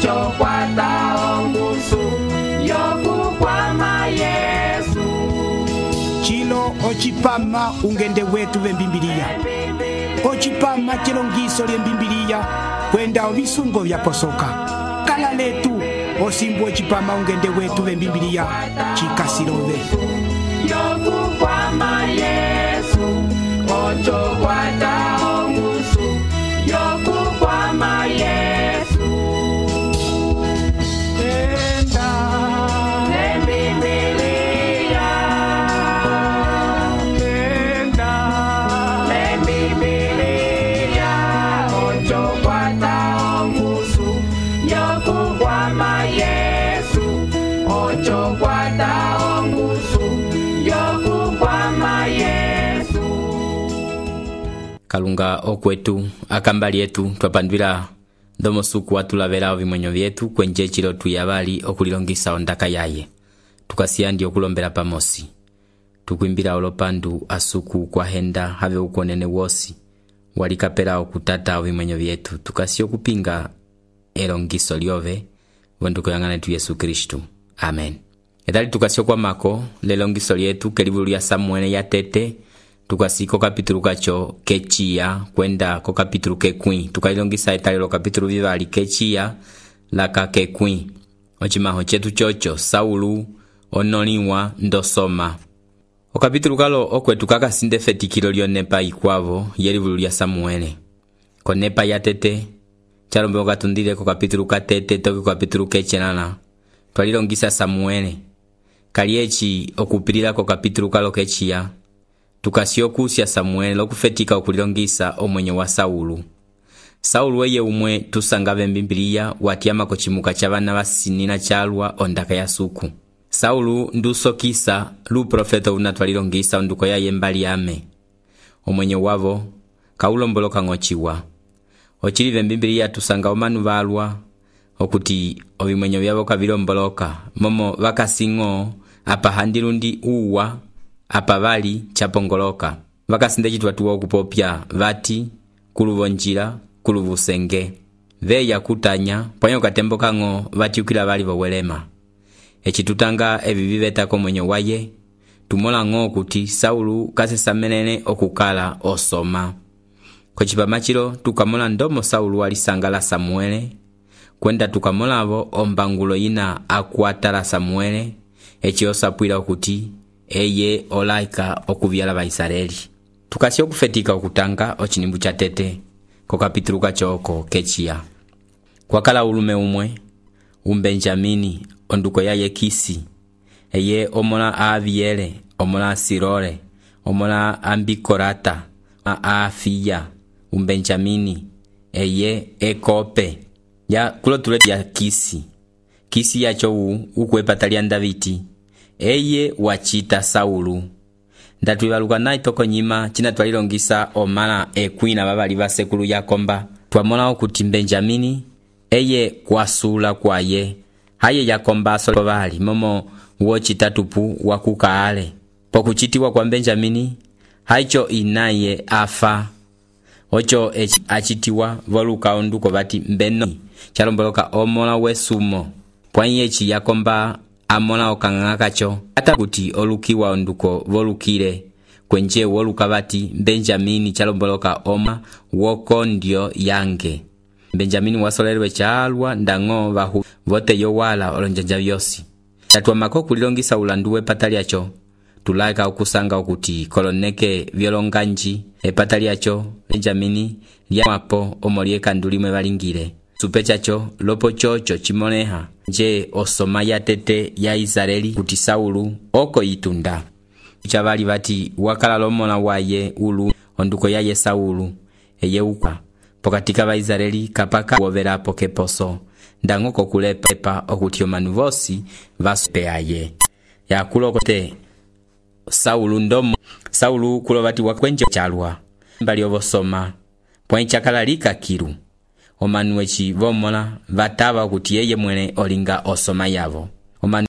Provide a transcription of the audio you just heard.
ocho kwata ongusu yokukwama Yesu. Chilo ochipama ungende wetu vembimbiliya. Ochipama chilongiso lyembimbiliya kwenda ovisungo vyaposoka. Kala letu osimbu ochipama ungende wetu vembimbiliya chikasilove. Yokukwama Yesu, ocho kwata ongusu yokukwama Yesu. Enda lembimbiliya, enda lembimbiliya, ocho kwata ongusu yokukwama Yesu, ocho kwata ongusu yokukwama Yesu. Kalunga okwetu akambali yetu twapandwila ndomo suku watulavela ovimwenyo vyetu kwenje chilo tuyavali okulilongisa ondaka yaye tukasiyandi okulombela pamosi tukwimbila olopandu asuku kwa henda have ukonene wosi walikapela okutata ovimwenyo vyetu tukasi okupinga elongiso lyove wenduko yangane tu Yesu Kristu. Amen. Edali tukasi kwa mako lelongiso lyetu kelivulu lya Samuele ya tete tukasiko kapitulu kacho kechiya kwenda ko kapitulu kekwi tukailongisa etalilo kapitulu vivali kechiya laka kekwi ochimaho chetu chocho Saulu onoliwa ndosoma okapitulu kalo okwetu kakasinde fetikilo lyonepa ikwavo yelivulu lya Samuele konepa ya tete chalombe katundile ko kapitulu katete toki kapitulu kechenana twalilongisa Samuele kaliechi okupilila ko kapitulu kalo kechiya tukasyokusya Samuele lokufetika okulilongisa omwenyo wa Saulu. Saulu weye umwe tusangave mbimbiliya watiyama kochimuka cha bana basinina chalwa ondaka ya suku. Saulu ndusokisa lu profeta unatwalilongisa onduko ya yembali ame. Omwenyo wavo kaulomboloka ngochiwa. Ochilive mbimbiliya tusanga omanu balwa okuti ovimwenyo vyavo kavilomboloka momo vakasingo apa handilundi uwa apa bali chapongoloka vakasinde chitwatuwa okupopya vati kuluvonjila kuluvusenge veya kutanya pwanyo katembo kango vatiukila bali vowelema echitutanga eviviveta mwenyo waye tumola ngo kuti Saulu kasesamelene okukala osoma kochipamachilo tukamola ndomo Saulu alisangala Samuele kwenda tukamolavo ombangulo yina akuatala Samuele echiosapwila okuti eye olaika okuvyala Baisraeli tukasi okufetika okutanga ochinimbu cha tete ko kapitulu kachoko kechiya kwakala ulume umwe Benjamini onduko ya Yekisi eye omola Aviele omola Sirole omola Ambikorata Afiya Benjamini eye Ekope ya kulotule ya Kisi yacho ukwepatalia Davidi eye wachita Saulu ndatwibaluka nayi toko nyima china twalilongisa omala ekwina babali basekulu yakomba twamola okuti Benjamini eye kwasula kwaye haye yakomba solo bali momo wochitatupu wakukaale pokuchitiwa kwa Benjamini haicho inaye afa ocho achitiwa voluka onduko bati mbeno chalomboloka omola wesumo pwanyechi yakomba amola okanganga kacho ata kuti olukiwa onduko volukile kwenje woluka bati Benjamini chalomboloka oma wokondio yange Benjamini wasolerwe chalwa ndango bahu vote yowala olonjanja byosi tatwa makoku lilongisa ulanduwe pataliacho tulaika okusanga okuti koloneke vyolonganji epataliacho Benjamini lyapo omolieka ndulimwe balingire supechacho lopo chocho chimoneha je osoma ya tete ya Israeli kuti Saulu oko itunda chabali bati wakala lomona waye ulu onduko yaye Saulu eye ukwa pokatika ba Israeli kapaka wovera pokeposo ndangoko kulepepa okuti omanu vosi vasopeaye yakulokote Saulu ndomo Saulu kulobati wakwenje chalwa mbali obosoma pwenchakala lika kiru omanu echi vomola vatava kuti yeye mwene olinga osoma yavo